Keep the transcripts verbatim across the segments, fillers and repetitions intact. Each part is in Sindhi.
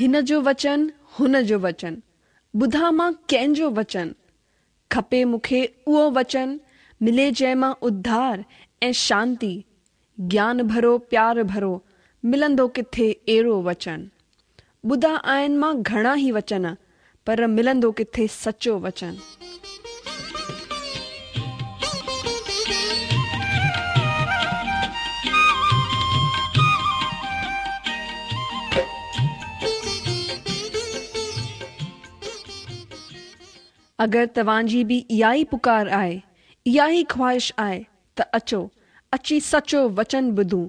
हिन जो वचन हुन जो वचन, ॿुधां मां कंहिंजो वचन। खपे मूंखे उहो वचन, मिले जंहिं मां उद्धार ऐं शांति। ज्ञान भरो प्यार भरो, मिलंदो किथे अहिड़ो वचन। ॿुधा आहिनि मां घणा ई वचन, पर मिलंदो किथे सचो वचन। अगरि तव्हांजी बि इहा ई पुकार आहे, इहा ई ख़्वाहिश आहे त अचो अची सचो वचन ॿुधूं,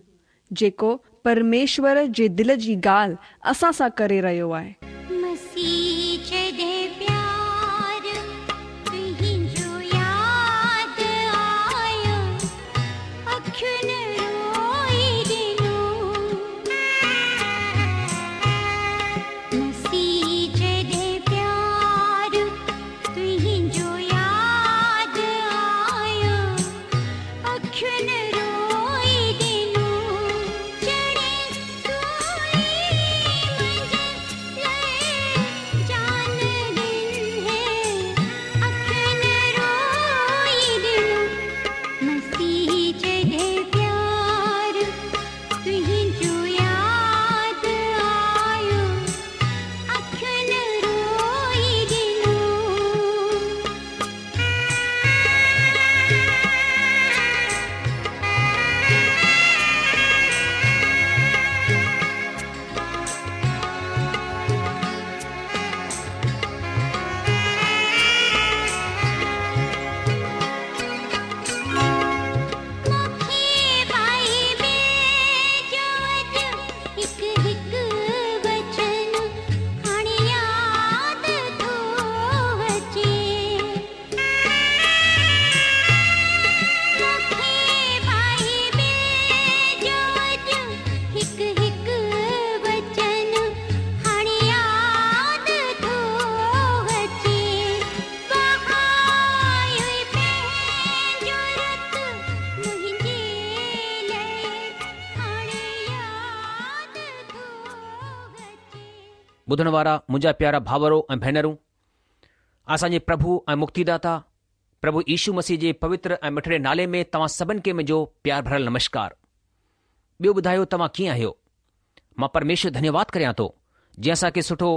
जेको परमेश्वर जे दिलि जी ॻाल्हि असां सां करे रहियो आहे। ॿुधण वारा मुंहिंजा प्यारा भावरो ऐं भेनरूं, असांजे प्रभु ऐं मुक्तिदाता प्रभु यीशु मसीह जे पवित्र ऐं मिठड़े नाले में तव्हां सभिनि खे मुंहिंजो प्यार भरियल नमस्कार। ॿियो ॿुधायो तव्हां कीअं आहियो? मां परमेश्वर धन्यवाद करियां थो जंहिं असांखे सुठो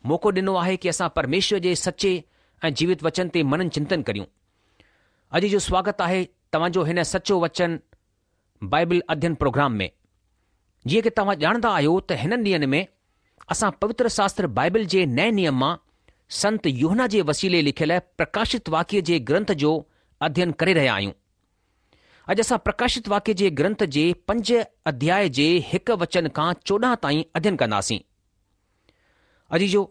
मौक़ो ॾिनो आहे की असां परमेश्वर जे सचे ऐं जीवित वचन ते मनन चिंतन करियूं। अॼु जो स्वागत आहे तव्हांजो हिन सचो वचन बाइबल अध्ययन प्रोग्राम में। जीअं की तव्हां ॼाणंदा आहियो त हिननि ॾींहंनि में असां पवित्र शास्त्र बाइबल जे नए नियम मां संत यूहन्ना जे वसीले लिखियल प्रकाशित वाक्य जे ग्रंथ जो अध्ययन करे रहिया आहियूं। अॼु असां प्रकाशित वाक्य जे ग्रंथ जे पंज अध्याय जे हिकु वचन खां चोॾहं ताईं अध्ययन कंदासीं। अॼु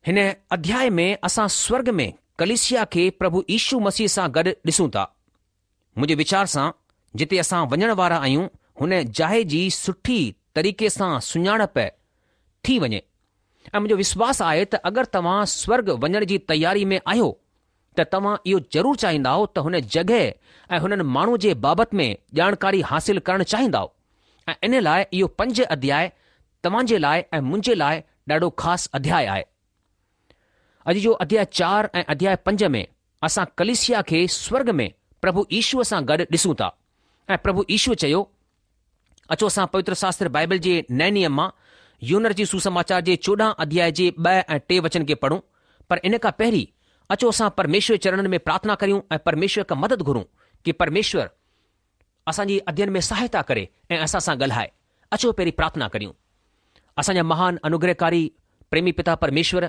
हिन अध्याय में असां स्वर्ग में कलीसिया खे प्रभु यीशु मसीह सां गॾु ॾिसूं था। मुंहिंजे वीचार सां जिते असां वञण वारा आहियूं हुन जाइ जी सुठी तरीक़े सां सुञाणप थी वञे ऐं मुंहिंजो विश्वास आहे त अगरि तव्हां स्वर्ग वञण जी तयारी में आहियो त तव्हां इहो ज़रूरु चाहींदाओ त हुन जॻह ऐं हुननि माण्हू जे बाबति में ॼाणकारी हासिल करणु चाहींदाओ ऐं इन लाइ इहो पंज अध्याय तव्हांजे लाइ ऐं मुंहिंजे लाइ ॾाढो ख़ासि अध्याय आहे। अॼु जो अध्याय चारि ऐं अध्याय पंज में असां कलीसिया खे स्वर्ग में प्रभु यीशुअ सां गॾु ॾिसूं था ऐं प्रभु यीशुअ चयो, अचो असां पवित्र शास्त्र बाइबल जे नए नियम मां यूहन्ना जी सुसमाचार जे चोॾहं अध्याय जे ॿ ऐं टे वचन खे पढ़ूं। पर इन खां पहिरीं अचो असां परमेश्वर चरणनि में प्रार्थना करियूं ऐं परमेश्वर खां मदद घुरूं की परमेश्वर असांजी अध्ययन में सहायता करे ऐं असां सां ॻाल्हाए। अचो पहिरीं प्रार्थना करियूं। असांजा महान अनुग्रहकारी प्रेमी पिता परमेश्वर,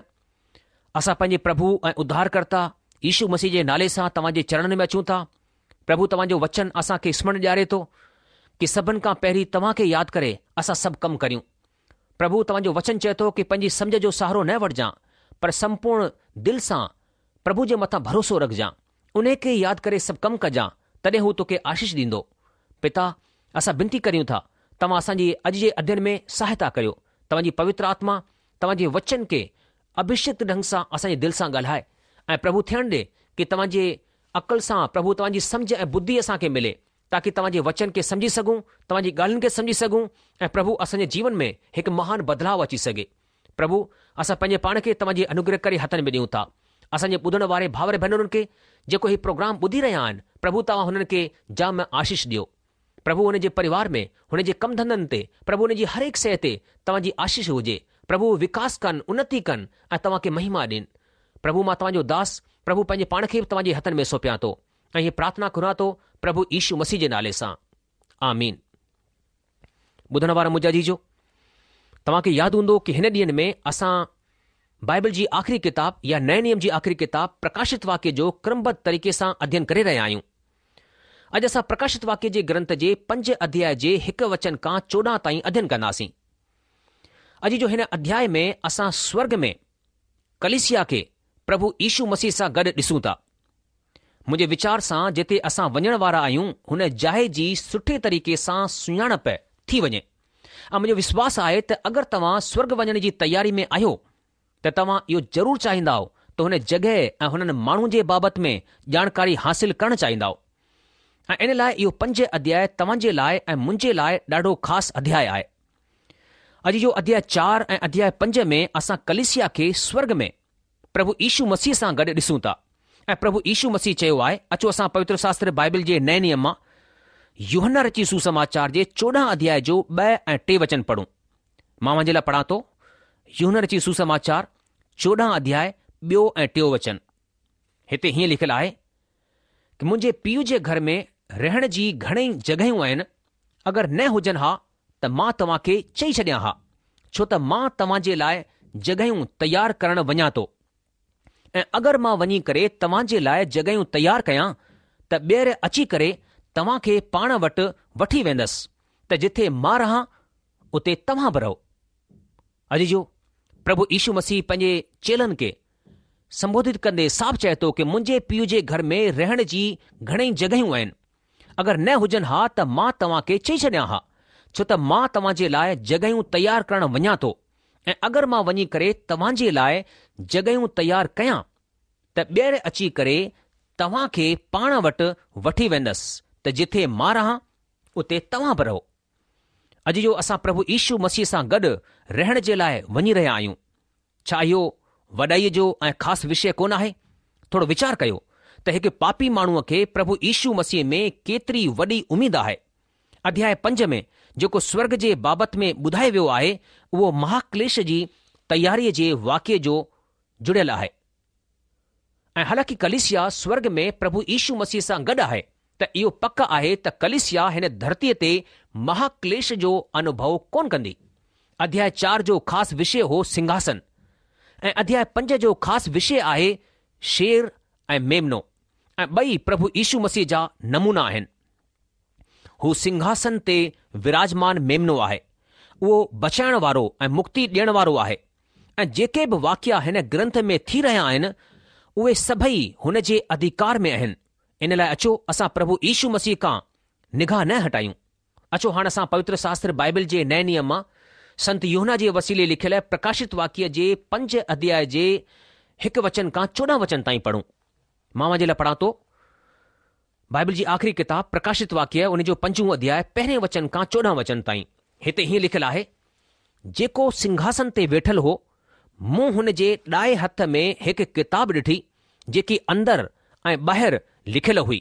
असां पंहिंजे प्रभु ऐं उद्धारकर्ता यीशु मसीह जे नाले सां तव्हांजे चरणनि में अचूं था। प्रभु, तव्हांजो वचन असांखे स्मरण ॾियारे थो की सभिनि खां पहिरीं तव्हांखे यादि करे असां सभु कमु करियूं। प्रभु, तव्हांजो वचन चए थो की पंहिंजी सम्झ जो सहारो न वठिजां, पर संपूर्ण दिलि सां प्रभु जे मथां भरोसो रखिजां, उन खे यादि करे सभु कमु कजां, तॾहिं हू तोखे आशीष ॾींदो। पिता, असां विनती करियूं था तव्हां असांजी अॼु जे अध्ययन में सहायता करियो। तव्हांजी पवित्र आत्मा तव्हांजे वचन खे अभिषिक्त ढंग सां असांजे दिलि सां ॻाल्हाए ऐं प्रभु थियणु ॾे की तव्हांजे अक़ल सां प्रभु तव्हांजी सम्झ ऐं बुद्धि असांखे मिले, تاڪي توهان جي وچن کي سمجهي سگهون، توهان جي ڳالهين کي سمجهي سگهون ۽ پرڀو اسان جي جيون ۾ هڪ مهان بدلاء اچي سگهي. پرڀو، اسان پنهنجي پاڻ کي توهان جي انوگرهڪاري هٿن ۾ ڏيون ٿا. اسان جي ٻڌڻ واري ڀائر ڀينرن کي جيڪو هي پروگرام ٻڌي رهيا آهن، پرڀو توهان هنن کي جام آشيش ڏيو. پرڀو هن جي پريوار ۾، هن جي ڪم ڌنڌن تي، پرڀو هن جي هر هڪ شيء تي توهان جي آشيش هجي. پرڀو وڪاس ڪن، انتي ڪن ۽ توهان کي مهما ڏين. پرڀو مان توهان جو داس، پرڀو پنهنجي پاڻ کي به توهان جي هٿن ۾ سونپيان ٿو ۽ هيء پرارٿنا گهران ٿو پرڀو يشو مسيح جي نالي سان. آمين. ٻڌڻ وارا منهنجا عزيزو، توهان کي ياد هوندو ڪي هن ڏينهن ۾ اسان بائبل جي آخري ڪتاب يا نئين نيم جي آخري ڪتاب پرڪاشت واڪيه جو ڪرمبڌ طريقي سان اڌين ڪري رهيا آهيون. اڄ اسان پرڪاشت واڪيه جي گرنٿ جي پنج اڌياء جي هڪ وچن کان چوڏهن تائين اڌين ڪنداسين. اڄ جو هن اڌياء ۾ اسان سورڳ ۾ ڪليسيا کي پرڀو يشو مسيح سان گڏ ڏسون ٿا. منهنجي ويچار سان جتي اسان وڃڻ وارا آهيون هن جاء جي سٺي طريقي سان سڃاڻپ ٿي وڃي ۽ منهنجو وشواس آهي ته اگر توهان سورڳ وڃڻ جي تياري ۾ آهيو ته توهان اهو ضرور چاهيندائو ته هن جڳهه ۽ هنن ماڻهن جي بابت ۾ ڄاڻڪاري حاصل ڪرڻ چاهيندائو ۽ ان لاء اهو پنج اڌياء توهان جي لاء ۽ منهنجي لاء ڏاڍو خاص اڌياء آهي. اڄ جو اڌياء چار ۽ اڌياء پنج ۾ اسان ڪليسيا کي سورڳ ۾ پرڀو يشو مسيح سان گڏ ڏسون ٿا ۽ پرڀو يشو مسيح چيو آهي، اچو اسان پوتر شاستر بائبل جي نئين نيم مان يوحنا رچي سوسماچار جي چوڏهن اڌياء جو ٻه ۽ ٽي وچن پڙهون. مان اوهان جي لاء پڙهان ٿو، يوحنا رچي سوسماچار چوڏهن اڌياء ٻيو ۽ ٽيون وچن. هتي هيئن لکيل آهي ڪه منهنجي پيء جي گهر ۾ رهڻ جي گهڻئي جڳهيون آهن، اگر نه هجن ها ته مان توهان کي چئي ڇڏيان ها، ڇو ته مان توهان جي لاء جڳهيون تيار ڪرڻ وڃان ٿو. ۽ اگر مان وڃي ڪري توهان جي لاء جڳهيون تيار ڪيان ته ٻيهر اچي ڪري توهان کي پاڻ وٽ وٺي ويندس ته جٿي مان رهان اتي توهان به رهو. عزيزو، پرڀو يشو مسيح پنهنجي چيلن کي سنبوڌت ڪندي صاف چئي ٿو ڪه منهنجي پيء جي گهر ۾ رهڻ جي گهڻئي جڳهيون آهن. اگر نه هجن ها ته مان توهان کي چئي ڇڏيان ها، ڇو ته مان توهان جي لاء جڳهيون تيار ڪرڻ وڃان ٿو ۽ اگر مان وڃي ڪري توهان جي لاء جڳهيون تيار ڪيان ته ٻيهر اچي ڪري توهان کي پاڻ وٽ وٺي ويندس ته جٿي مان رهان اتي توهان به رهو. عزيزو اسان پرڀو يشو مسيح سان گڏ رهڻ جي لاء وڃي رهيا آهيون. ڇا اهو وڏائيء جو ۽ خاص وشيه ڪونه آهي؟ ٿورو ويچار ڪيو ته هڪ پاپي ماڻهوء کي پرڀو يشو مسيح ۾ ڪيتري وڏي اميد آهي. اڌياء پنج ۾ جيڪو سورڳ جي بابت ۾ ٻڌايو ويو آهي اهو مهاڪليش جي تياريء جي واقعي جو جڙيل آهي. ۽ حالانڪه ڪليسيا سورڳ ۾ پرڀو يشو مسيح سان گڏ آهي ته اهو پڪ آهي ته ڪليسيا هن ڌرتيء تي مهاڪليش جو انوڀو ڪونه ڪندي. اڌياء چار جو خاص وشيه هو سنگهاسن ۽ اڌياء پنج جو خاص وشيه آهي شير ۽ ميمنو ۽ ٻئي پرڀو يشو مسيح جا نمونا آهن. هو سنگهاسن تي وراجمان ميمنو آهي. اهو بچائڻ وارو ۽ مڪتي ڏيڻ وارو آهي ۽ جيڪي به واقعا هن گرنٿ ۾ ٿي رهيا آهن، اهي سڀئي هن جي اڌيڪار ۾ آهن. ان لاء اچو اسان پرڀو يشو مسيح کان نگاهه نه هٽايون. اچو هاڻ اسان پوتر شاستر بائبل جي نئين نيم مان سنت يوحنا جي وسيلي لکيل پرڪاشت واڪيه جي پنج اڌياء جي هڪ وچن کان چوڏهن وچن تائين پڙهون. مان اوهان جي لاء پڙهان ٿو. بائبل جي آخري ڪتاب پرڪاشت واڪيه ان جو پنجون اڌياء پهرين وچن کان چوڏهن وچن تائين هتي هيئن لکيل آهي، جيڪو سنگهاسن تي ويٺل هو، مون هن جي ڏائي هٿ ۾ هڪ ڪتاب ڏٺي جيڪي اندر ۽ ٻاهر لکيل هئي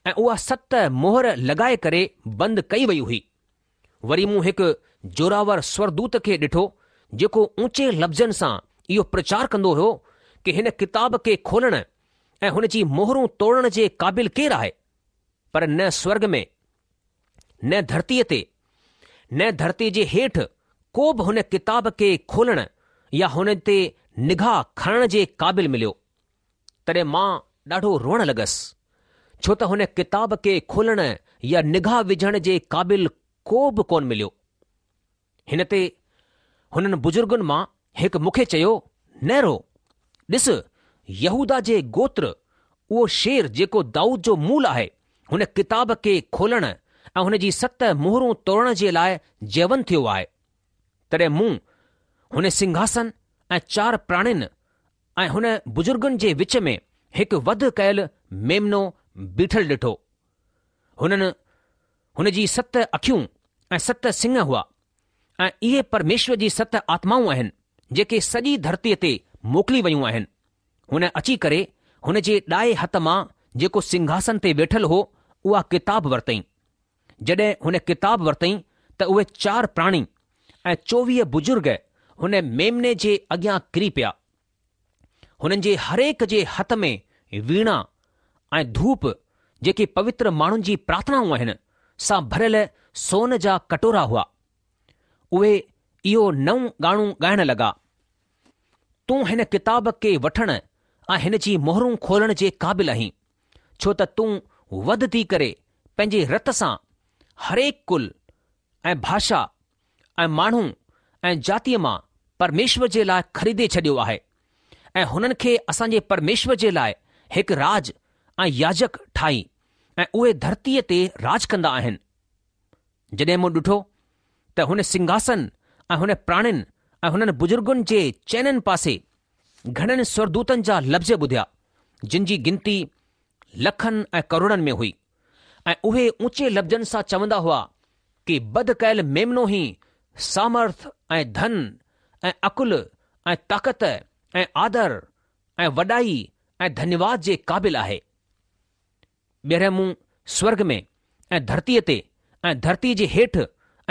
۽ اها ست مهر لڳائي ڪري بند ڪئي وئي هئي. وري مون هڪ زوراور سورڳدوت کي ڏٺو جيڪو اونچي لفظن سان اهو پرچار ڪندو هيو ڪه هن ڪتاب کي کولڻ ۽ هن جي مهرون توڙڻ جي قابل ڪير آهي؟ پر نه سورڳ ۾، نه ڌرتيء تي، نه ڌرتيء جي هيٺ ڪو به هن ڪتاب کي کولڻ يا هن تي نگاهه کڻڻ جي قابل مليو. تڏهن مان ڏاڍو روئڻ لڳس، ڇو ته هن ڪتاب کي کولڻ يا نگاهه وجهڻ جي قابل ڪو به ڪونه مليو. هن تي هنن بزرگن مان هڪ مون کي چيو، نه رو، ڏس، يهوداه جي گوتر، اهو شير جيڪو دائود جو مول آهي، هن ڪتاب کي کولڻ ۽ هن جي ست مهرون توڙڻ جي لاء جيونت ٿيو آهي. تڏهن مون هن سنگهاسن ۽ چار پراڻين ۽ هن بزرگن جي وچ ۾ هڪ وڌ ڪيل ميمنو بيٺل ڏٺو. هنن هن جي ست اکيون ۽ ست سڱ هئا ۽ اهي پرميشور جي ست آتمائون آهن، جيڪي سڄي ڌرتيء تي موڪلي ويون آهن. هن اچي ڪري هن جي ڏائي هٿ مان جيڪو سنگهاسن تي ويٺل هو، اها ڪتاب ورتئين. جڏهن هن ڪتاب ورتئين ته اهي چار پراڻي ۽ چوويهه بزرگ هن ميمني جي اڳيان ڪري پيا. هنن جي هرهڪ جي هٿ ۾ ويڻا ۽ ڌوپ، جيڪي پوتر ماڻهن جي پرارٿنائون آهن، سان ڀريل سون جا ڪٽورا هئا. اهي اهو نئون ڳاڻو ڳائڻ لڳا، تون هن ڪتاب کي وٺڻ ۽ هن جي مهرون کولڻ جي قابل آهين، ڇو ته تون وڌ ٿي ڪري پنهنجي رت سان هرهڪ ڪل ۽ ڀاشا ۽ ماڻهو ۽ جاتيء مان پرميشور جي لاء خريدي ڇڏيو آهي ۽ هنن کي اسان جي پرميشور جي لاء هڪ راڄ ۽ ياجڪ ٺاهي ۽ اهي ڌرتيء تي راڄ ڪندا آهن. جڏهن مون ڏٺو ته هن سنگهاسن ۽ هن پراڻين ۽ هنن بزرگن جي چئنن پاسي گهڻن سورگدوتن جا لفظ ٻڌيا، جن جي گنتي لکن ۽ ڪروڙن ۾ هئي ۽ اهي اونچي لفظن سان چوندا هئا ڪي وڌ ڪيل ميمنو ئي سامرٿ ۽ ڌن ۽ عقل ۽ طاقت ۽ آدر ۽ وڏائي ۽ ڌنيواد جي قابل آهي. ٻيهر مون سورڳ ۾ ۽ ڌرتيء تي ۽ ڌرتيء جي هيٺ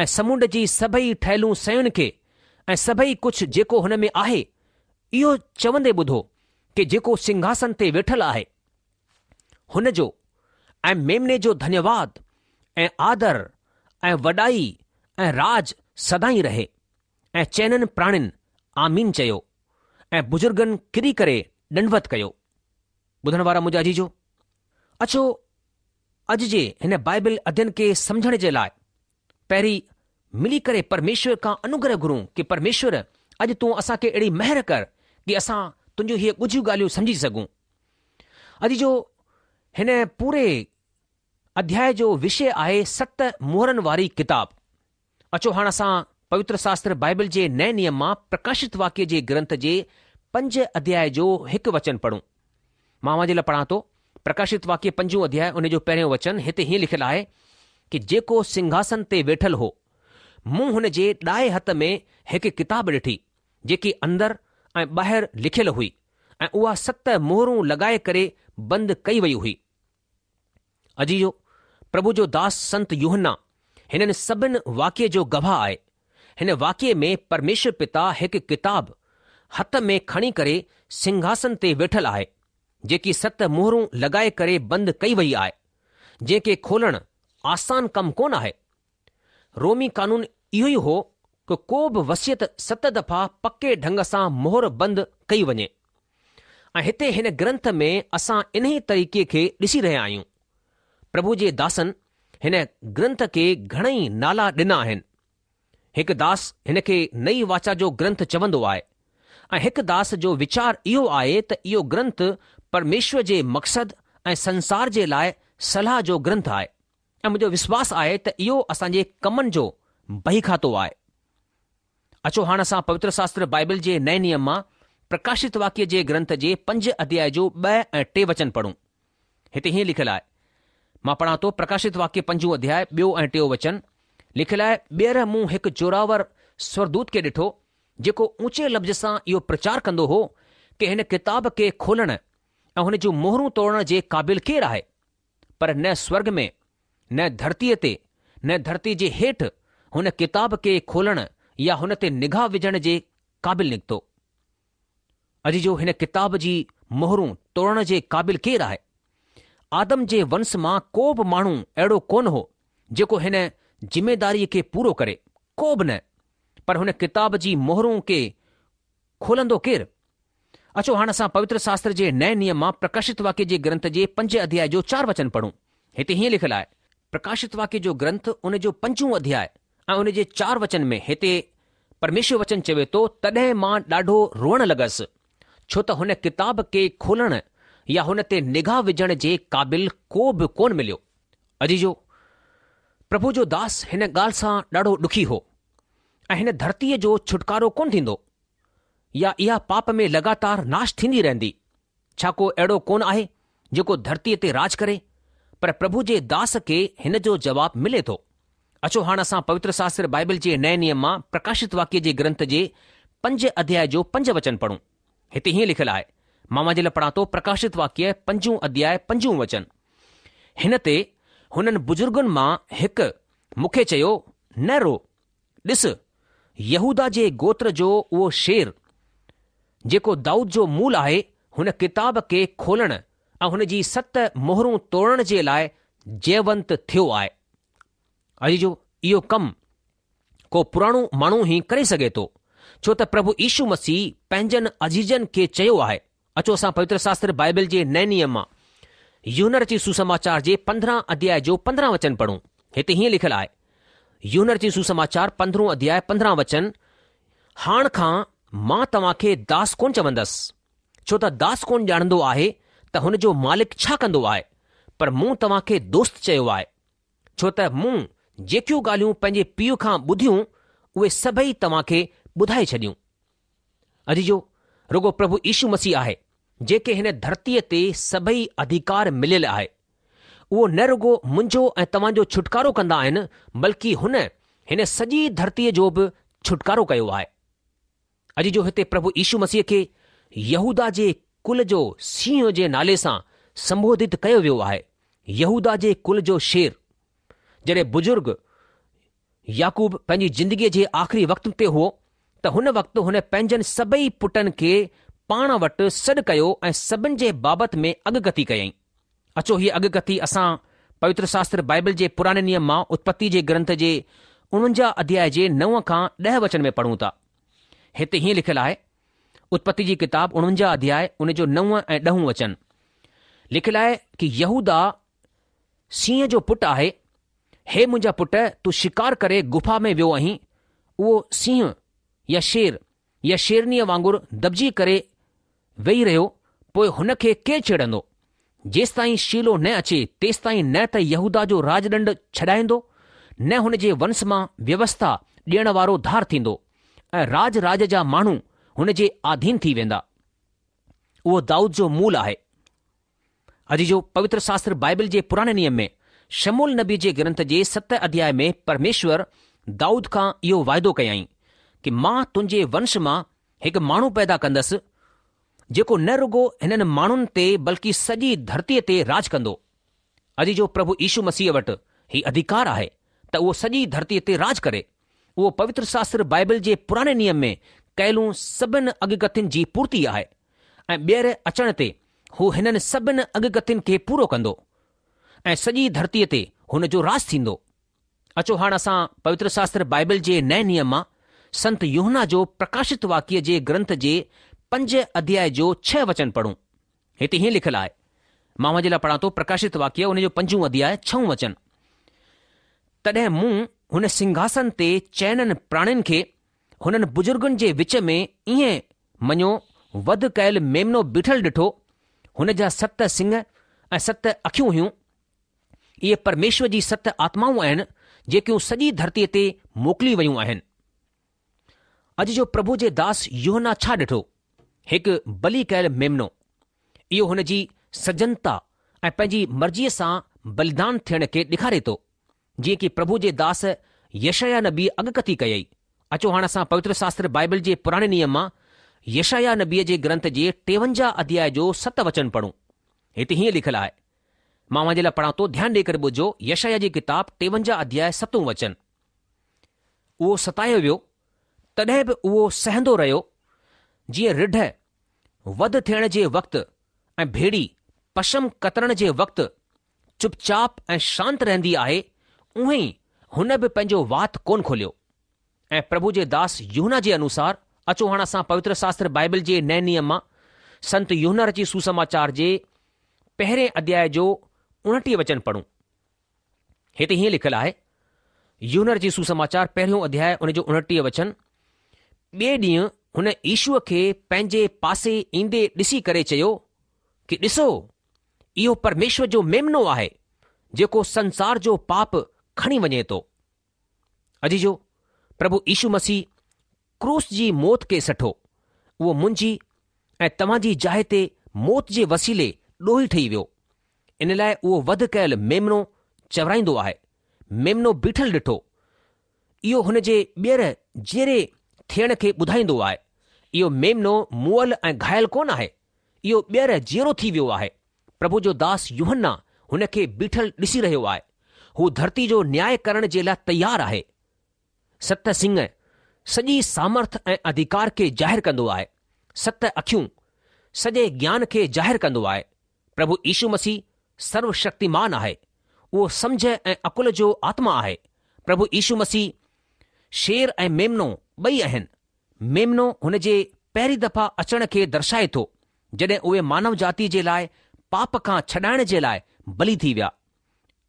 ۽ سمنڊ جي سڀئي ٺهيلون شين کي ۽ سڀئي ڪجهه جيڪو هن ۾ آهي، اهو چوندي ٻڌو ڪي جيڪو سنگهاسن تي ويٺل آهي، هن جو ۽ ميمني جو ڌنيواد ۽ آدر ۽ وڏائي ۽ راڄ سدائين رهي. ۽ چئنن پراڻين آمين چيو ۽ بزرگن ڪري ڪري ڏنڊوت ڪيو. ٻڌڻ وارا منهنجا عزيزو! اچو اڄ جي هن بائبل اڌين کي سمجهڻ جي لاء پهرين ملي ڪري پرميشور کان انوگره گهرون ڪي پرميشور اڄ تون اسان کي اهڙي مهر ڪر ڪي اسان تنهنجون هيء ڳجهيون ڳالهيون سمجهي سگهون. عزيزو هن پوري اڌياء جو وشي آهي ست مهرن واري ڪتاب. اچو هاڻ اسان پوتر شاستر بائبل جي نئين نيم مان پرڪاشت واڪيه جي گرنٿ جي پنج اڌياء جو هڪ وچن پڙهون. مان اوهان جي لاء پڙهان ٿو، پرڪاشت واڪيه پنجون اڌياء ان جو پهريون وچن هتي هيئن لکيل آهي ڪي جيڪو سنگهاسن تي ويٺل هو، مون هن جي ڏائي هٿ ۾ هڪ ڪتاب ڏٺي، جيڪي اندر ۽ ٻاهر لکيل هئي ۽ اها ست مهرون لڳائي ڪري بند ڪئي وئي هئي. عزيزو! پرڀو جو داس سنت يوحنا هنن سڀن واقعي جو گواهه آهي. هن واقعي ۾ پرميشور پتا هڪ ڪتاب هٿ ۾ کڻي ڪري سنگهاسن تي ويٺل آهي، جيڪي ست مهرون لڳائي ڪري بند ڪئي وئي آهي، جنهن کي کولڻ آسان ڪم ڪونه آهي. رومي قانون اهو ئي هو ڪه ڪو به وصيت ست دفعا پڪي ڍنگ سان مهر بند ڪئي وڃي ۽ هتي هن گرنٿ ۾ اسان انهي طريقي کي ڏسي رهيا آهيون. پرڀو جي داسن هن گرنٿ کي گهڻئي نالا ڏنا آهن. هڪ داس هن کي نئي واچا جو گرنٿ چوندو آهي ۽ هڪ داس جو ويچار اهو آهي ته اهو گرنٿ پرميشور جي مقصد ۽ سنسار جي لاء صلاح جو گرنٿ آهي. ۽ منهنجو وشواس آهي ته اهو اسان جي ڪمن جو بهي کاتو آهي. اچو هاڻ اسان پوتر شاستر بائبل جي نئين نيم مان پرڪاشت واڪيه جي گرنٿ جي پنج اڌياء جو ٻه ۽ ٽي وچن پڙهون. هتي هيئن لکيل آهي. مان پڙهان ٿو پرڪاشت واڪيه پنجون اڌياء ٻيو ۽ ٽيون وچن لکيل آهي ٻيهر مون هڪ زوراور سورگدوت کي ڏٺو جيڪو اونچي لفظ سان اهو پرچار ڪندو هو ڪي هن ڪتاب کي کولڻ ۽ هن جون مهرون توڙڻ جي قابل ڪير آهي؟ پر نه سورڳ ۾، نه ڌرتيء تي، نه ڌرتيء جي هيٺ هن ڪتاب کي کولڻ يا هن تي نگاهه وجهڻ جي قابل نڪتو. عزيزو هن ڪتاب جي مهرون توڙڻ جي قابل ڪير آهي؟ آدم جي ونس مان ڪو به ماڻهو اهڙو ڪونه هو جيڪو هن ذميداريء کي پورو ڪري، ڪو به نه، پر هن ڪتاب جي مهرون کي کولندو ڪير؟ اچو هاڻ اسان پوتر شاستر جي نئين نيم مان پرڪاشت واڪيه جي گرنٿ جي پنج اڌياء جو چار وچن پڙهون. هتي هيئن لکيل آهي. پرڪاشت واڪيه جو گرنٿ ان جو پنجون اڌياء ۽ ان جي چار وچن ۾ هتي پرميشور وچن چوي ٿو تڏهن مان ڏاڍو روئڻ لڳس ڇو ته هن ڪتاب کي کولڻ يا هن تي نگاهه وجهڻ جي قابل ڪو به ڪونه مليو. عزيزو! پرڀو جو داس هن ڳالهه سان ڏاڍو ڏکي هو ۽ هن ڌرتيء جو ڇوٽڪارو ڪونه ٿيندو. يا اها پاپ ۾ لڳاتار ناش ٿيندي رهندي؟ ڇا ڪو اهڙو ڪونه آهي جيڪو ڌرتيء تي راڄ ڪري؟ پر پرڀو جي داس کي هن جو جواب ملي ٿو. اچو هاڻ اسان پوتر شاستر بائبل جي نئين نيم مان پرڪاشت واڪيه جي گرنٿ جي پنج اڌياء جو پنج وچن پڙهون. هتي هيئن لکيل آهي، مان اوهان جي لاء پڙهان ٿو پرڪاشت واڪيه پنجون اڌياء پنجون وچن. هن تي هنن بزرگن مان هڪ مون کي چيو، نه رو، ڏس، يهوداه جي گوتر جو اهو شير، جيڪو دائود جو مول آهي، هن ڪتاب کي کولڻ ۽ هن جي ست مهرون توڙڻ جي لاء جيونت ٿيو آهي. عزيزو، اهو ڪم ڪو پراڻو ماڻهو ئي ڪري سگهي ٿو، ڇو ته پرڀو يشو مسيح پنهنجن عزيزن کي چيو آهي. اچو اسان پوتر شاستر بائبل جي نئين نيم مان يوحنا رچت سوسماچار جي پندرهن اڌياء جو پندرهن وچن پڙهون. هتي هيئن لکيل آهي، يوحنا رچت سوسماچار پندرهون اڌياء پندرهن وچن، هاڻ کان مان توهان کي داس ڪونه چوندس، ڇو ته داس ڪونه ڄاڻندو آهي ته هن جو مالڪ ڇا ڪندو آهي، پر مون توهان کي دوست چيو آهي، ڇو ته مون جيڪيون ڳالهيون پنهنجي پيء کان ٻڌيون، اهي سڀئي توهان کي ٻڌائي ڇڏيون. عزيزو، رڳو پرڀو يشو مسيح آهي، جنهن کي هن ڌرتيء تي سڀئي اڌيڪار مليل آهي. اهو نه رڳو منهنجو ۽ توهان جو ڇوٽڪارو ڪندا آهن، بلڪه هن هن سڄي ڌرتيء جو به ڇوٽڪارو ڪيو آهي. عزيزو، هتي پرڀو يشو مسيح کي يهوداه جي ڪل جو سينهن جي نالي سان سنبوڌت ڪيو ويو آهي، يهوداه جي ڪل جو شير. جڏهن بزرگ يعقوب پنهنجي زندگيء جي آخري وقت تي هو ته هن وقت هن پنهنجن سڀئي پٽن کي پاڻ وٽ سڏ ڪيو ۽ سڀن جي بابت ۾ اڳڪٿي ڪيائين. اچو هيء اڳڪٿي اسان پوتر شاستر بائبل جي پراڻي نيم مان اتپتي جي گرنٿ جي اڻونجاهه اڌياء جي نو کان ڏهه وچن ۾ پڙهون ٿا. هتي هيئن لکيل آهي، اتپتي جي ڪتاب اڻونجاهه اڌياء ان جو نو ۽ ڏهون وچن لکيل آهي ڪي يهوداه سينهن جو پٽ آهي، هي منهنجا پٽ تون شڪار ڪري گفا ۾ ويو آهين، اهو سينهن يا شير يا شيرنيء وانگر دٻجي ڪري ويهي رهيو، پوء هن کي ڪير ڇيڙندو؟ جيستائين شيلو نه اچي، تيستائين نه ته يهوداه جو راڄڏنڊ ڇڏائيندو، نه هن جي ونس مان ويوسٿا ڏيڻ وارو ڌار ٿيندو، ۽ راڄ راڄ جا ماڻهو هن جي آڌين ٿي ويندا. اهو دائود جو مول آهي. عزيزو، پوتر شاستر بائبل جي پراڻي نيم ۾ شموئيل نبي جي گرنٿ جي ست اڌياء ۾ پرميشور دائود کان اهو واعدو ڪيائين ڪي مان تنهنجي ونش مان هڪ ماڻهو پيدا ڪندس جيڪو نه رڳو هنن ماڻهن تي بلڪه سڄي ڌرتيء تي راڄ ڪندو. عزيزو، پرڀو يشو مسيح وٽ هي اڌيڪار آهي ته اهو سڄي ڌرتيء تي راڄ ڪري. اهو پوتر شاستر بائبل جي پراڻي نيم ۾ ڪيلون سڀن اڳڪٿين جي پورتي آهي ۽ ٻيهر اچڻ تي هو هنن سڀن اڳڪٿين کي پورو ڪندو ۽ سڄي ڌرتيء تي هن جو راڄ ٿيندو. اچو هاڻ اسان پوتر شاستر بائبل جي نئين نيم مان سنت يوحنا جو پرڪاشت واڪيه جي گرنٿ جي پنج اڌياء جو ڇهه وچن پڙهون. هتي هيئن لکيل آهي، مان اوهان جي لاء پڙهان ٿو پرڪاشت واڪيه ان جو پنجون اڌياء ڇهون وچن. تڏهن مون هن سنگهاسن تي چئنن پراڻين کي هنن بزرگن جي وچ ۾ ائين مڃو وڌ ڪيل ميمنو بيٺل ڏٺو، هن جا ست سڱ ۽ ست اکيون هيون. اهي پرميشور جي ست آتمائون آهن، جيڪيون سڄي ڌرتيء تي موڪلي ويون آهن. عزيزو پرڀو جي داس يوحنا ڇا ڏٺو؟ هڪ بلي ڪيل ميمنو. اهو هن جي سجنتا ۽ پنهنجي مرضيء سان بليدان ٿيڻ کي ڏيکاري ٿو. جيئن ڪي پرڀو جي داس يشعيا نبيء اڳڪٿي ڪئي. اچو هاڻ اسان پوتر شاستر بائبل جي پراڻي نيم مان يشعيا نبيء جي گرنٿ جي ٽيونجاهه اڌياء جو ست وچن پڙهون. هتي هيئن لکيل آهي. مان اوهان جي لاء پڙهان ٿو، ڌيان ڏيئي ڪري ٻڌجو، يشعيا جي ڪتاب ٽيونجاهه اڌياء ستون وچن. اهو ستايو ويو، تڏهن به اهو سهندو رهيو، جيئن رڍ وڌ ٿيڻ جي وقت ۽ ڀيڙي پشم ڪترڻ جي وقت چپ چاپ ۽ شانت رهندي آهي، اونهين ئي هن به پنهنجو وات ڪونه کوليو. ۽ پرڀو جي داس يوحنا جي انوسار، اچو هاڻ اسان پوتر شاستر بائبل جي نئين نيم مان سنت يوحنا رچي سوسماچار جي پهرين اڌياء جو اڻٽيهه وچن پڙهون. هتي هيئن لکيل آهي، يوحنا رچي سوسماچار پهريون اڌياء ان جو اڻٽيهه وچن، ٻئي ڏينهن هن يشوء کي پنهنجي پاسي ايندي ڏسي ڪري چيو ڪي ڏسو، اهو پرميشور جو ميمنو آهي، جيڪو سنسار جو پاپ کڻي وڃي ٿو. عزيزو، پرڀو يشو مسيح ڪروس جي موت کي سٺو. اهو منهنجي ۽ توهان جي جاء تي موت جي وسيلي ڏوهي ٺهي ويو. ان لاءِ اهو وڌ ڪيل ميمنو چورائيندو آهي. ميمنو بيٺل ڏٺو. اهو هن جي ٻيهر جيئري ٿيڻ کي ٻڌائيندو آهي. اهو ميمنو مئل ۽ گهايل ڪونه آهي. اهو ٻيهر جيئرو ٿي ويو آهي. پرڀو جو داس يوحنا هن کي بيٺل ڏسي رهيو آهي. هو ڌرتي جو نياء ڪرڻ جي لاءِ تيار آهي. ست سڱ سڄي سامرٿ ۽ اڌڪار کي ظاهر ڪندو آهي. ست اکيون سڄي گيان کي ظاهر ڪندو آهي. پرڀو يشو مسيح سرو شڪتيمان آهي. اهو سمجهه ۽ عقل جو آتما آهي. پرڀو يشو مسيح شير ۽ ميمنو ٻئي آهن. ميمنو هن جي پهرين دفعا اچڻ کي درشائي ٿو، جڏهن اهي مانو جاتي جي لاءِ پاپ کان ڇڏائڻ جي لاءِ بلي ٿي ويا.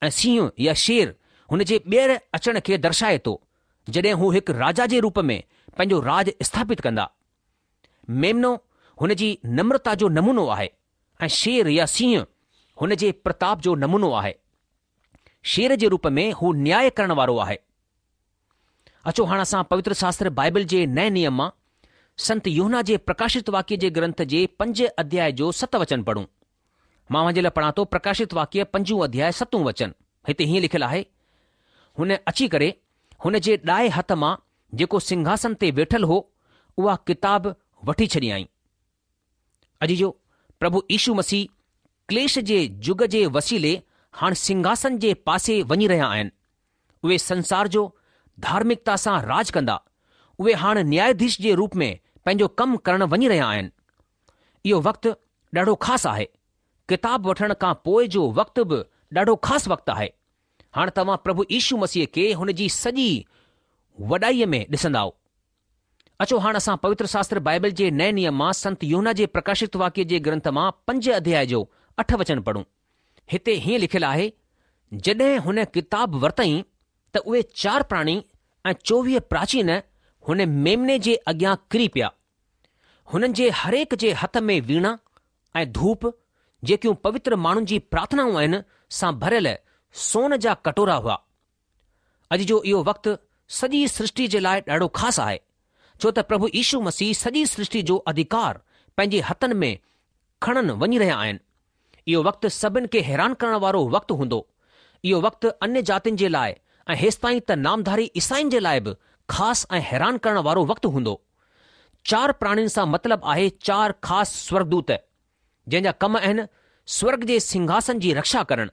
۽ سينهن يا شير هن جي ٻيهر اچڻ کي درشائي ٿو، جڏهن هو هڪ راجا جي روپ ۾ پنهنجو راج اسٿاپت ڪندا. ميمنو هن جي نمرتا جو نمونو آهي ۽ شير يا سينهن هن جي پرتاپ جو نمونو آهي. شير جي روپ ۾ هو نياء ڪرڻ وارو آهي. اچو هاڻ اسان پوتر شاستر بائبل جي نئين نيم مان سنت يوحنا جي پرڪاشت واڪيه جي گرنٿ جي پنج اڌياء جو ست وچن پڙهون. مان اوهان جي لاءِ پڙهان ٿو پرڪاشت واڪيه پنجون اڌياء ستون وچن. هتي هيئن لکيل آهي، هن اچي ڪري هن جي ڏائي هٿ مان جيڪو سنگهاسن تي ويٺل هو اها ڪتاب وٺي ڇڏيائين. عزيزو، پرڀو يشو مسيح ڪليش جي جگ جي وسيلي هاڻ سنگهاسن جي پاسي وڃي رهيا آهن. اهي سنسار جو ڌارمڪتا سان راج ڪندا. اهي هاڻ نياياڌيش جي روپ ۾ پنهنجو ڪم ڪرڻ وڃي رهيا آهن. اهو وقت ڏاڍو خاص آهي. ڪتاب وٺڻ کان پوءِ جو وقت به ڏاڍو خاص وقت آهي. هاڻ توهان پرڀو يشو مسيح کي هن جي سڄي وڏائيءَ ۾ ڏسندائو. اچو هاڻ اسان پوتر شاستر بائبل جي نئين نيم مان سنت يوحنا جي پرڪاشت واڪيه جي گرنٿ مان پنج اڌياء جو اٺ وچن پڙهون. هتي هيئن لکيل آهي، جڏهن هن ڪتاب ورتائين ته اهي چار پراڻي ۽ چوويهه پراچين هن ميمني جي اڳيان ڪري پيا. هنن جي هرهڪ جي هٿ ۾ ويڻا ۽ ڌوپ، جيڪيون پوتر ماڻهن جي پرارٿنائون آهن، سان ڀريل سون جا ڪٽورا هئا. اڄ جو اهو وقت سڄي سرشٽي جي لاءِ ڏاڍو خاص آهي، ڇو ته پرڀو يشو مسيح سڄي سرشٽي جو اڌڪار پنهنجي هٿن ۾ کڻڻ وڃي رهيا آهن. اهو وقت سڀن کي حيران ڪرڻ وارو وقت هوندو. اهو وقت انيه جاتين جي لاءِ ۽ هيستائين ته نامڌاري عيسائين جي لاءِ به خاص ۽ حيران ڪرڻ وارو وقت هوندو. چار پراڻين سان مطلب آهي چار خاص سورگدوت، جنهن جا ڪم آهن سورگ جي سنگهاسن جي رڪشا ڪرڻ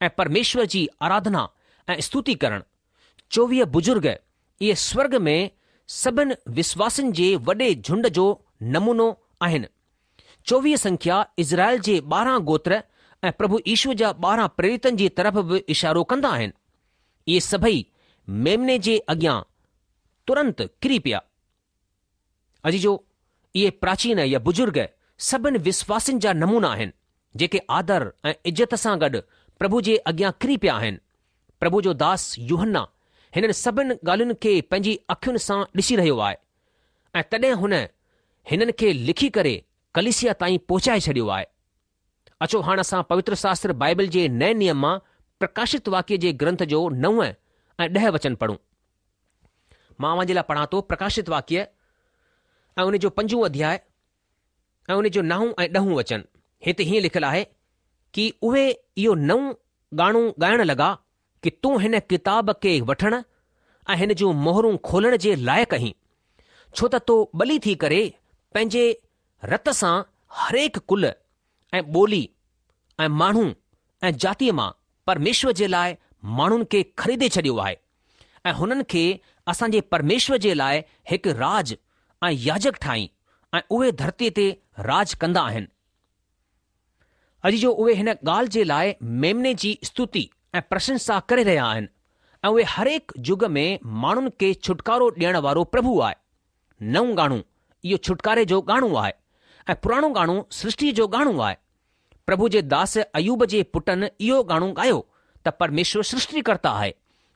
۽ پرميشور جي آراڌنا ۽ استتي ڪرڻ. چوويهه بزرگ اهي سورگ ۾ سڀن وشواسين جي وڏي جهنڊ جو نمونو آهن. چوويهه سنکيا اسرائيل جي ٻارهن گوتر ۽ پرڀو يشو جا ٻارهن پريرتن جي طرف به اشارو ڪندا آهن. اهي سڀئي ميمني جي اڳيان ترنت ڪري پيا. عزيزو، اهي پراچين يا بزرگ سڀن وشواسين جا نمونا آهن، جيڪي آدر ۽ عزت سان گڏ پرڀو جي اڳيان ڪري پيا آهن. پرڀو جو داس يوحنا هنن سڀن ڳالهين کي پنهنجي اکين سان ڏسي رهيو آهي ۽ تڏهن هن هنن کي لکي ڪري ڪليسيا تائين پهچائي ڇڏيو آهي. اچو هاڻ اسان پوتر شاستر بائبل جي نئين نيم مان پرڪاشت واڪيه جي گرنٿ جو نو ۽ ڏهه وچن پڙهون. مان اوهان جي لاءِ پڙهان ٿو پرڪاشت واڪيه ۽ ان جو پنجون اڌياء ۽ ان جو نائون ۽ ڏهون وچن. هتي هيئن لکيل آهي ڪه اهي اهو نئون ڳاڻو ڳائڻ لڳا ڪه تون هن ڪتاب کي وٺڻ ۽ هن جون مهرون کولڻ جي لائق آهين، ڇو ته تو ٻلي ٿي ڪري پنهنجي رت سان هريڪ ڪل ۽ ٻولي ۽ ماڻهو ۽ جاتيءَ مان پرميشور جي لاءِ ماڻهن کي خريدي ڇڏيو آهي ۽ هنن کي اسان جي پرميشور جي لاءِ هڪ راج ۽ ياجڪ ٺاهين ۽ اهي ڌرتيءَ تي راج ڪندا آهن. عزيزو، اهي هن ڳالهه جي لاءِ ميمني جي استتي ۽ پرشنسا ڪري رهيا آهن ۽ اهي هريڪ جگ ۾ ماڻهن کي ڇوٽڪارو ڏيڻ وارو پرڀو آهي. نئون ڳاڻو اهو ڇوٽڪاري جو ڳاڻو آهي ۽ پراڻو ڳاڻو سرشٽيءَ جو ڳاڻو آهي. پرڀو جي داس ايوب جي پٽن اهو ڳاڻو ڳايو ته پرميشور سرشٽيڪرتا آهي،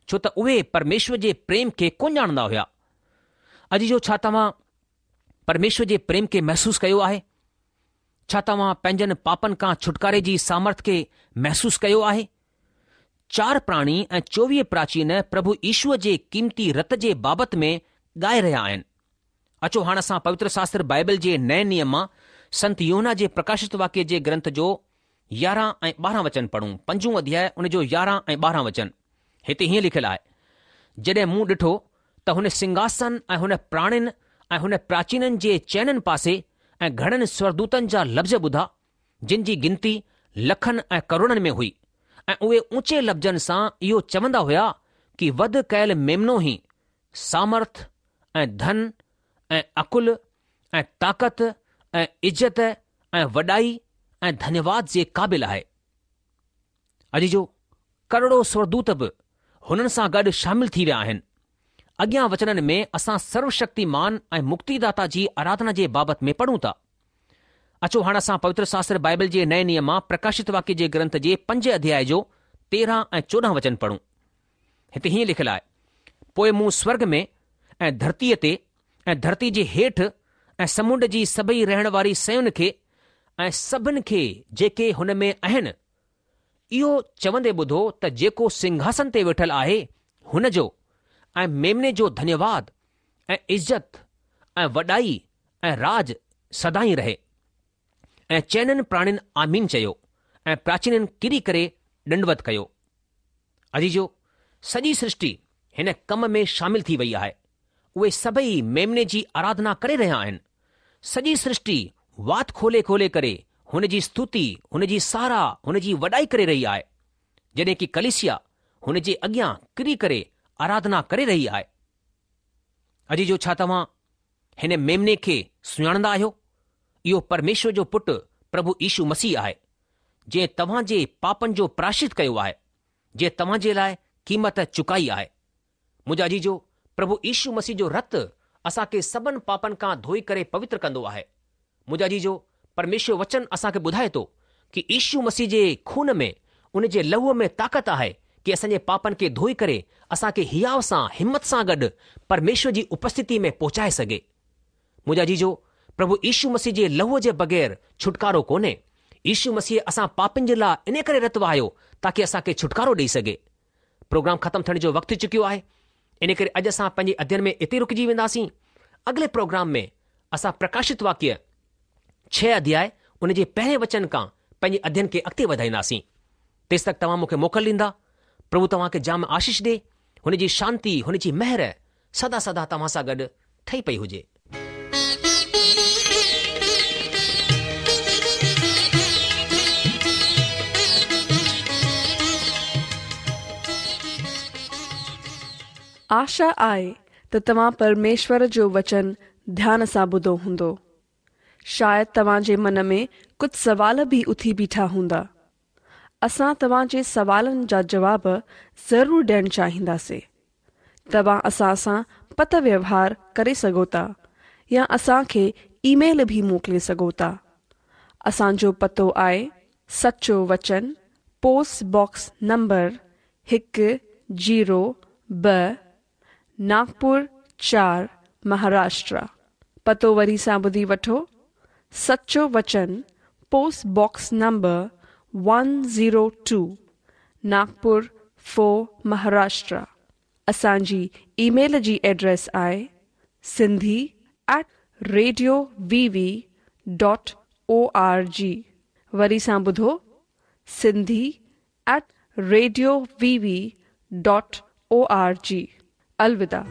ڇو ته اهي پرميشور جي پريم کي ڪونه ڄاڻندا هئا. عزيزو، ڇا توهان پرميشور جي پريم کي محسوس ڪيو آهي؟ ڇا توهان پنهنجن پاپن کان ڇوٽڪاري جي سامرٿ کي محسوس ڪيو آهي؟ چار پراڻي ۽ چوويهه پراچين پرڀو يشوءَ جي قيمتي رت جي بابت ۾ ڳائي رهيا آهن. اچو هاڻ اسان پوتر شاستر بائبل جي نئين نيم مان سنت يوحنا جي پرڪاشت واڪيه جي گرنٿ جو يارهن ۽ ٻارهن وچن پڙهون. پنجون اڌياء ان جو يارهن ۽ ٻارهن وچن. هتي هيئن لکيل آهي، جڏهن مون ڏٺو ته هن سنگهاسن ۽ هن پراڻين ۽ هن پراچينن جي چئنن پاسي ۽ گهڻن سورگدوتن جا لفظ ٻڌا، جن جي گنتي لکن ۽ ڪروڙن ۾ هئي ۽ اهي اوچي لفظن سان اهو چوندا هيا ڪي وڌ ڪيل ميمنو ئي سامرٿ ۽ ڌن ۽ عقل ۽ طاقت ۽ عزت ۽ وڏائي ۽ ڌنيواد جي قابل آهي. عزيزو، ڪروڙو سورگدوت به هنن سان گڏ شامل ٿي ويا آهن. اڳيان وچنن ۾ اسان سروشڪتيمان ۽ مڪتيداتا جي آراڌنا جي بابت ۾ پڙهون ٿا. اچو هاڻ اسان پوتر شاستر بائبل جي نئين نيم مان پرڪاشت واڪيه جي گرنٿ جي پنج اڌياء جو تيرهن ۽ چوڏهن وچن پڙهون. هتي هيئن لکيل آهي، پوء مون سورگ ۾ ۽ ڌرتيء تي ۽ ڌرتي جي هيٺ ۽ سمنڊ جي سڀئي رهڻ واري شين کي ۽ سڀن کي جيڪي هن ۾ آهن، اهو چوندي ٻڌو ته جيڪو سنگهاسن تي ويٺل آهي هن جو ۽ ميمني جو ڌنيواد ۽ عزت ۽ وڏائي ۽ راڄ سدائين رهي. ۽ چئنن پراڻين آمين چيو ۽ پراچينن ڪري ڪري ڏنڊوت ڪيو. عزيزو! سڄي سرشٽي هن ڪم ۾ شامل ٿي وئي آهي. اهي سڀئي ميمني جي آراڌنا ڪري رهيا آهن. سڄي سرشٽي وات کولي کولي ڪري هن جي ستوتي، هن جي ساراهه، هن جي وڏائي ڪري رهي آهي. جڏهن ڪي ڪليسيا هن جي اڳيان ڪري ڪري آراڌنا ڪري رهي آهي. عزيزو ڇا توهان هن ميمني کي سڃاڻندا آهيو؟ اهو پرميشور جو پٽ پرڀو يشو مسيح آهي، جنهن توهان جي پاپن جو پراشچت ڪيو آهي، جنهن توهان جي لاء قيمت چڪائي آهي. منهنجا عزيزو، پرڀو يشو مسيح جو رت اسان کي سڀن پاپن کان ڌوئي ڪري پوتر ڪندو آهي. منهنجا عزيزو، پرميشور وچن اسان کي ٻڌائي ٿو ڪي يشو مسيح جي خون ۾ ان جي لهوء ۾ طاقت آهي ڪي اسان جي پاپن کي ڌوئي ڪري اسان کي هياء سان همت سان گڏ پرميشور جي اپسٿتي ۾ پهچائي سگهي. منهنجا عزيزو، پرڀو يشو مسيح جي لهوء جي بغير ڇوٽڪارو ڪونهي. يشو مسيح اسان پاپين جي لاء انهي ڪري رت وهايو تاڪي اسان کي ڇوٽڪارو ڏئي سگهي. پروگرام ختم ٿيڻ جو وقت ٿي چڪيو آهي انهي ڪري اڄ اسان پنهنجي اڌين ۾ اتي رڪجي وينداسين. اڳلي پروگرام ۾ اسان پرڪاشت واڪيه ڇهه اڌياء ان جي پهرين وچن کان پنهنجي اڌين کي اڳتي وڌائينداسين. تيستڪ توهان مون کي موڪل ڏيندا. پرڀو توهان کي جام آشيش ڏي. هن جي شانتي، هن جي مهر سدا سدا توهان سان گڏ ٺهي پئي هجي. آشا آهي ته توهان پرميشور جو وچن ڌيان سان ٻڌو هوندو. شايد توهان جي من ۾ ڪجهه سوال به اٿي بيٺا هوندا. اسان توهان جي سوالن جا جواب ضرور ڏيڻ چاهينداسين. توهان اسان سان پتر ويوهار ڪري سگهو ٿا يا اسان کي اي ميل به موڪلي سگهو ٿا. اسان جو پتو آهي سچو وچن پوسٽ باڪس نمبر هڪ زيرو ٻه ناگپور چار مهاراشٽر. پتو وري سان ٻڌي وٺو سچو وچن post box number one zero two Nagpur four Maharashtra. اسان جي اي ميل جي ايڊريس آهي Sindhi at radio V V dot O R G. وري سان ٻڌو Sindhi at radio V V dot O R G. الوداع.